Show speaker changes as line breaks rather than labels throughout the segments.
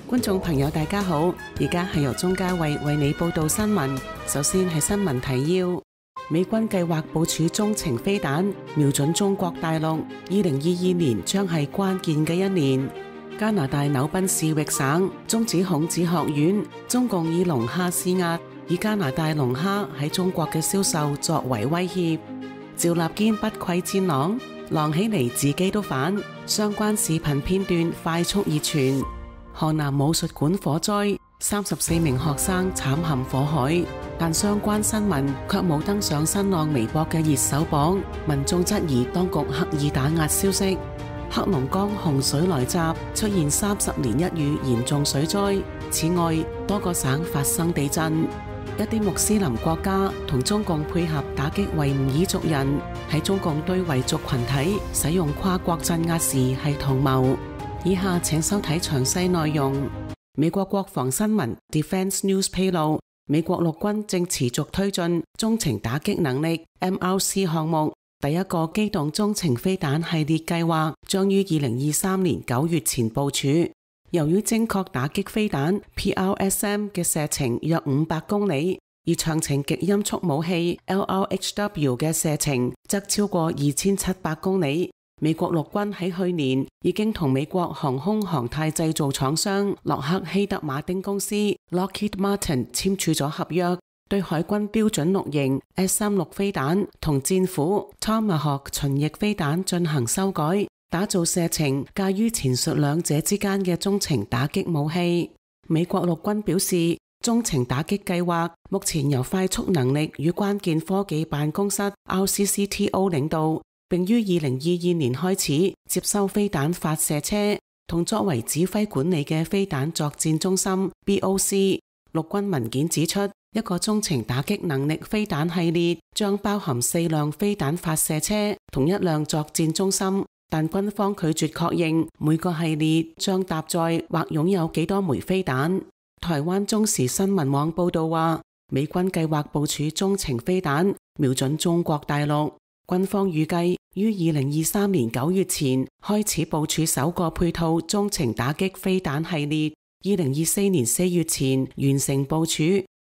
觀眾朋友大家好，而家係由鍾嘉慧為你報道新聞。首先係新聞提要：美軍計劃部署中程飛彈，瞄準中國大陸。2022年將係關鍵嘅一年。加拿大紐賓士域省終止孔子學院，中共以龍蝦施壓，以加拿大龍蝦喺中國嘅銷售作為威脅。趙立堅不愧戰狼，狼起嚟自己都反。相關視頻片段快速熱傳。河南武術館火災，34名學生慘陷火海，但相關新聞卻冇登上新浪微博嘅熱搜榜，民眾質疑當局刻意打壓消息。黑龍江洪水來襲，出現30年一遇嚴重水災。此外，多個省發生地震。一啲穆斯林國家同中共配合打擊維吾爾族人，喺中共對維族群體使用跨國鎮壓時係同謀。以下請收睇詳細內容。美國國防新聞 Defense News 披露，美國陸軍正持續推進中程打擊能力 MRC 項目。第一個機動中程飛彈系列計劃將於2023年9月前部署。由於精確打擊飛彈 PRSM 嘅射程約500公里，而長程極音速武器 LRHW 嘅射程則超過2700公里。美國陸軍喺去年已經同美國航空航太製造廠商洛克希德馬丁公司 Lockheed Martin 簽署咗合約，對海軍標準6型 S-36飛彈同戰斧 Tomahawk 巡弋飛彈進行修改，打造射程介於前述兩者之間嘅中程打擊武器。美國陸軍表示，中程打擊計劃目前由快速能力與關鍵科技辦公室 RCCTO 領導，並於2022年開始接收飛彈發射車同作為指揮管理嘅飛彈作戰中心 BOC。陸軍文件指出，一個中程打擊能力飛彈系列將包含4輛飛彈發射車同1輛作戰中心，但軍方拒絕確認每個系列將搭載或擁有幾多枚飛彈。台灣中時新聞網報道話，美軍計劃部署中程飛彈，瞄準中國大陸。軍方預計於2023年9月前開始部署首個配套中程打擊飛彈系列，2024年4月前完成部署。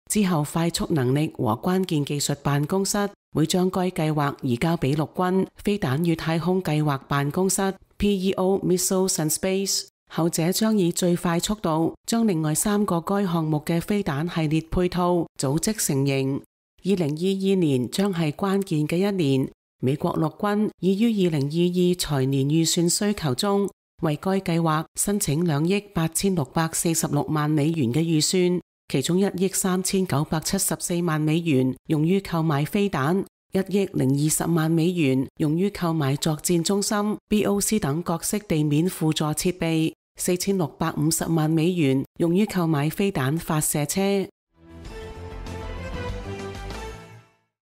之後快速能力和關鍵技術辦公室會將該計劃移交俾陸軍飛彈與太空計劃辦公室 PEO Missiles and Space， 後者將以最快速度將另外3個該項目嘅飛彈系列配套組織成型。2022年將係關鍵嘅一年。美國陸軍已於2022財年預算需求中為該計劃申請2億8646萬美元嘅預算，其中1億3974萬美元用於購買飛彈，1億020萬美元用於購買作戰中心 BOC 等各式地面輔助設備，4650萬美元用於購買飛彈發射車。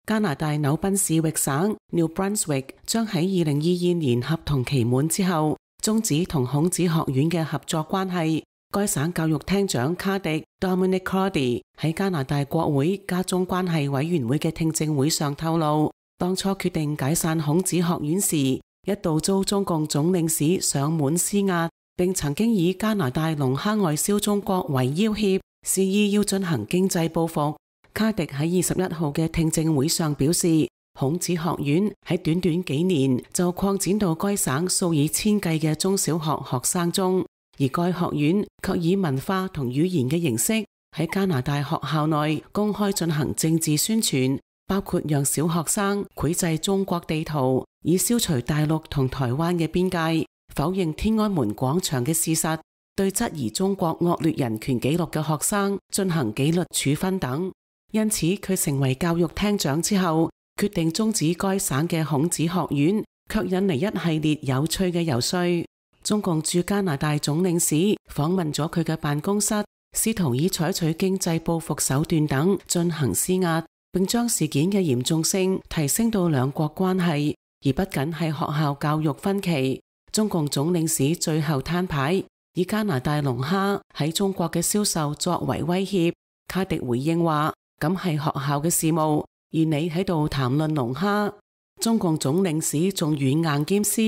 加拿大紐賓士域省 New Brunswick 將喺2022年合同期滿之後終止同孔子學院嘅合作關係。該省教育廳長卡迪 Dominic Crowdy 喺加拿大國會加中關係委員會嘅聽證會上透露，當初決定解散孔子學院時，一度遭中共總領事上門施壓，並曾經以加拿大龍蝦外銷中國為要挾，示意要進行經濟報復。卡迪喺21號嘅聽證會上表示，孔子學院喺短短幾年就擴展到該省數以千計嘅中小學學生中，而該學院卻以文化同語言嘅形式喺加拿大學校內公開進行政治宣傳，包括讓小學生繪製中國地圖，以消除大陸同台灣嘅邊界，否認天安門廣場嘅事實，對質疑中國惡劣人權紀錄嘅學生進行紀律處分等。因此，佢成為教育廳長之後，決定終止該省嘅孔子學院，卻引嚟一系列有趣嘅游說。中共駐加拿大總領事訪問咗佢嘅辦公室，試圖以採取經濟報復手段等進行施壓，並將事件嘅嚴重性提升到兩國關係，而不僅係學校教育分歧。中共總領事最後攤牌，以加拿大龍蝦喺中國嘅銷售作為威脅。卡迪回應話，咁係學校嘅事務，而你喺度談論龍蝦。中共總領事仲軟硬兼施，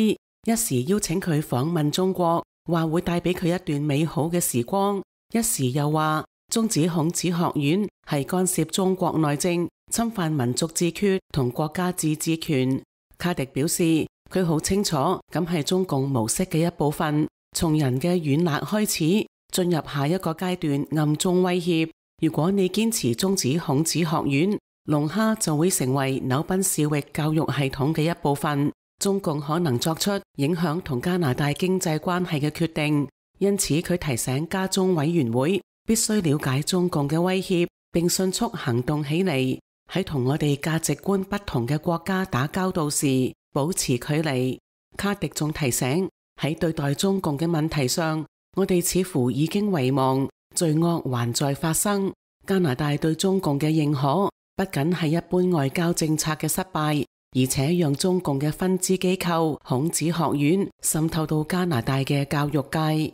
一時邀請佢訪問中國，話會帶俾佢一段美好嘅時光，一時又話終止孔子學院係干涉中國內政，侵犯民族自決同國家自治權。卡迪表示，佢好清楚咁係中共模式嘅一部分，從人嘅軟肋開始，進入下一個階段暗中威脅。如果你堅持終止孔子學院，龍蝦就會成為紐賓市域教育系統嘅一部分。中共可能作出影響同加拿大經濟關係嘅決定，因此佢提醒家中委員會必須了解中共嘅威脅，並迅速行動起嚟。喺同我哋價值觀不同嘅國家打交道時，保持距離。卡迪仲提醒，喺對待中共嘅問題上，我哋似乎已經遺忘，罪惡還在發生。加拿大對中共嘅認可，不僅係一般外交政策嘅失敗，而且讓中共嘅分支機構孔子學院滲透到加拿大嘅教育界。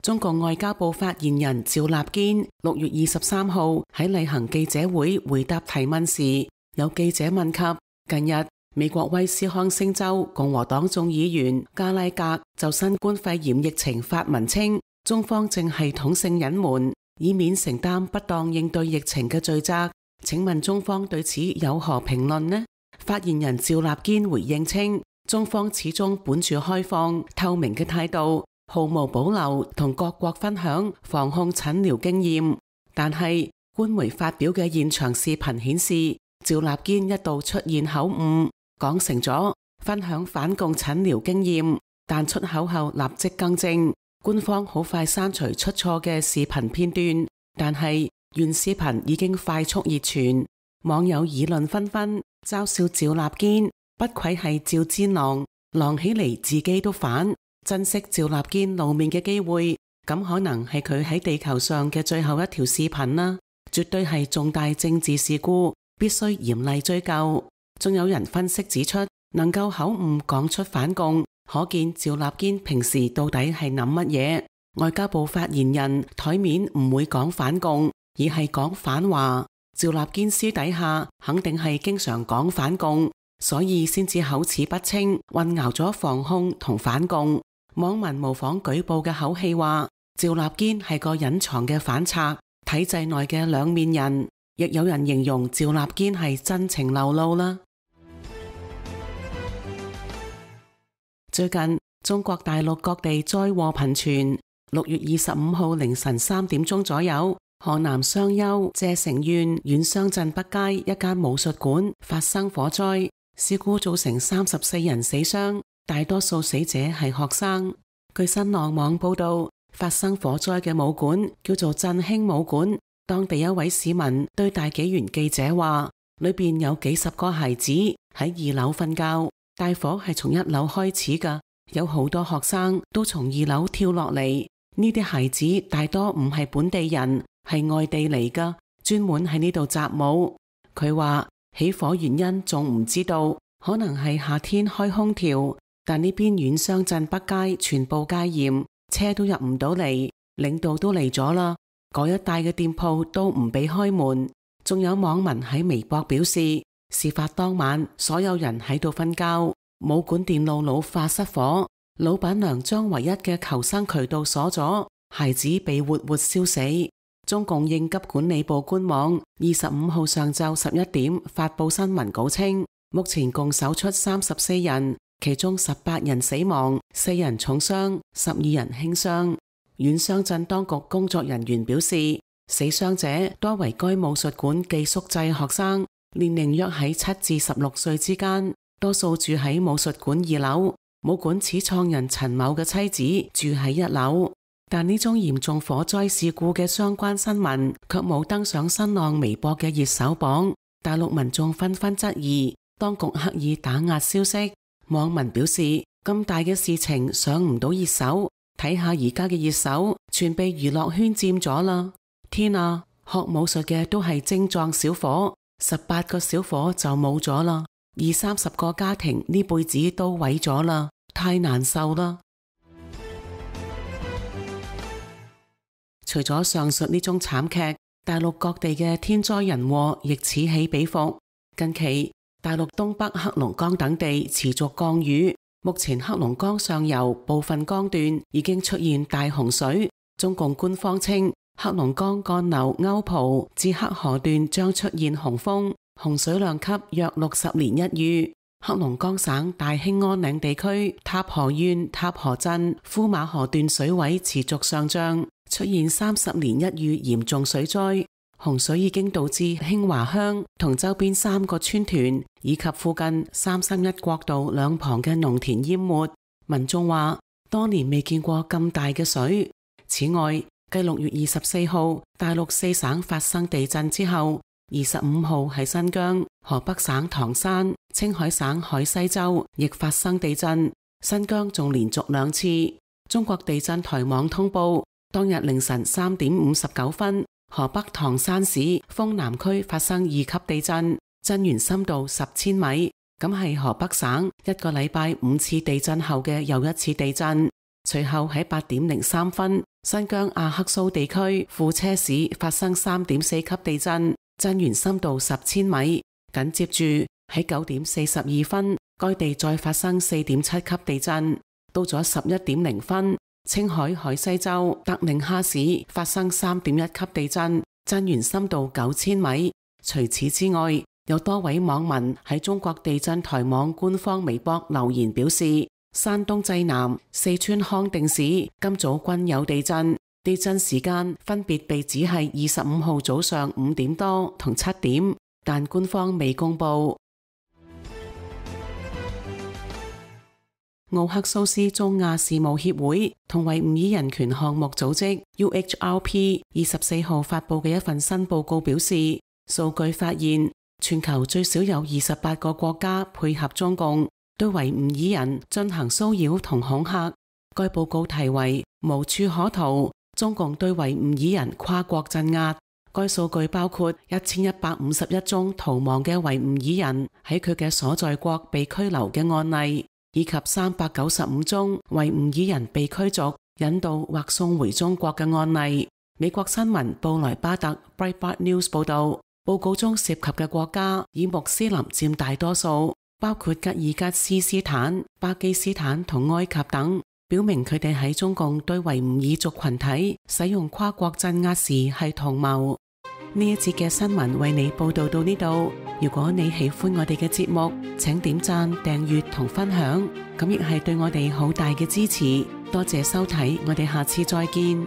中共外交部發言人趙立堅6月23號喺例行記者會回答提問時，有記者問及近日美國威斯康星州共和黨眾議員加拉格就新冠肺炎疫情發文稱，中方正系統性隱瞞，以免承擔不當應對疫情嘅罪責。請問中方對此有何評論呢？發言人趙立堅回應稱，中方始終本住開放透明嘅態度，毫無保留同各國分享防控診療經驗。但係官媒發表嘅現場視頻顯示，趙立堅一度出現口誤，講成咗分享反共診療經驗，但出口後立即更正。官方好快刪除出錯嘅視頻片段，但係原視頻已經快速熱傳，網友議論紛紛，嘲笑趙立堅不愧係趙戰狼，狼起嚟自己都反。珍惜趙立堅露面嘅機會，咁可能係佢喺地球上嘅最後一條視頻啦，絕對係重大政治事故，必須嚴厲追究。仲有人分析指出，能夠口誤講出反共，可見趙立堅平時到底係諗乜嘢。外交部發言人台面唔會講反共，而係講反華。趙立堅私底下肯定係經常講反共，所以先至口齒不清，混淆咗防控同反共。網民模仿舉報嘅口氣話，趙立堅係個隱藏嘅反賊，體制內嘅兩面人。亦有人形容趙立堅係真情流露啦。最近中國大陸各地災禍頻傳。6月25號凌晨3點鐘左右，河南商丘謝城縣縣商鎮北街一間武術館發生火災，事故造成34人死傷，大多數死者係學生。據新浪網報道，發生火災嘅武館叫做振興武館。當地一位市民對大紀元記者話，裏邊有幾十個孩子喺2樓瞓覺，大火係從1樓開始㗎，有好多學生都從2樓跳落嚟。呢啲孩子大多唔係本地人，係外地嚟㗎，專門喺呢度習武。佢話起火原因仲唔知道，可能係夏天開空調，但呢邊縣商鎮北街全部戒嚴，車都入唔到嚟，領導都嚟咗啦，嗰一帶嘅店鋪都唔俾開門。仲有網民喺微博表示，事發當晚所有人喺度瞓覺，武館電路老化失火，老闆娘將唯一嘅求生渠道鎖咗，孩子被活活燒死。中共應急管理部官網25號上晝11點發布新聞稿稱，目前共搜出34人，其中18人死亡，4人重傷，12人輕傷。縣商鎮當局工作人員表示，死傷者多為該武術館寄宿制學生，年齡約喺7至16歲之間，多數住喺武術館2樓。武館始創人陳某嘅妻子住喺1樓，但呢宗嚴重火災事故嘅相關新聞卻冇登上新浪微博嘅熱搜榜。大陸民眾紛紛質疑當局刻意打壓消息。網民表示，咁大嘅事情上唔到熱搜，睇下而家嘅熱搜全被娛樂圈佔咗啦。天啊，學武術嘅都係精壯小伙，18個小伙就冇咗啦，20-30個家庭呢輩子都毀咗啦，太難受啦。除咗上述呢宗慘劇，大陸各地嘅天災人禍亦此起彼伏。近期大陸東北黑龍江等地持續降雨，目前黑龍江上游部分江段已經出現大洪水，中共官方稱黑龍江幹流歐蒲至黑河段將出現洪峰，洪水量級約60年一遇。黑龍江省大興安嶺地區塔河縣塔河鎮呼馬河段水位持續上漲，出現30年一遇嚴重水災。洪水已經導致興華鄉同周邊3個村屯以及附近331國道兩旁嘅農田淹沒。民眾話多年未見過咁大嘅水。此外，繼6月24號大陸4省發生地震之後，25號喺新疆、河北省唐山、青海省海西州亦發生地震，新疆仲連續2次。中國地震台網通報，當日凌晨3點59分，河北唐山市豐南區發生2級地震，震源深度10千米，咁係河北省1個禮拜5次地震後嘅又一次地震。隨後喺8點03分，新疆阿克蘇地區庫車市發生3.4級地震，震源深度10千米。緊接住喺9點42分，該地再發生4.7級地震。到咗11點0分，青海海西州德令哈市發生3.1級地震，震源深度9千米。除此之外，有多位網民喺中國地震台網官方微博留言表示，山東濟南、四川康定市今早均有地震，地震時間分別被指係25號早上5點多同7點，但官方未公布。奧克蘇斯中亞事務協會同維吾爾人權項目組織 UHRP 24號發佈嘅一份新報告表示，數據發現全球最少有28個國家配合中共對維吾爾人進行騷擾同恐嚇。該報告題為無處可逃，中共對維吾爾人跨國鎮壓。該數據包括1151宗逃亡嘅維吾爾人喺佢嘅所在國被拘留嘅案例，以及395宗維吾爾人被驅逐、引渡或送回中國嘅案例。美國新聞布萊巴特 Breitbart News 報道，報告中涉及嘅國家以穆斯林佔大多數，包括吉爾吉斯斯坦、巴基斯坦同埃及等，表明佢哋喺中共對維吾爾族群體使用跨國鎮壓時係同謀。呢一節嘅新聞為你報道到呢度。如果你喜歡我哋嘅節目，請點讚、訂閱同分享，咁亦係對我哋好大嘅支持。多謝收睇，我哋下次再見。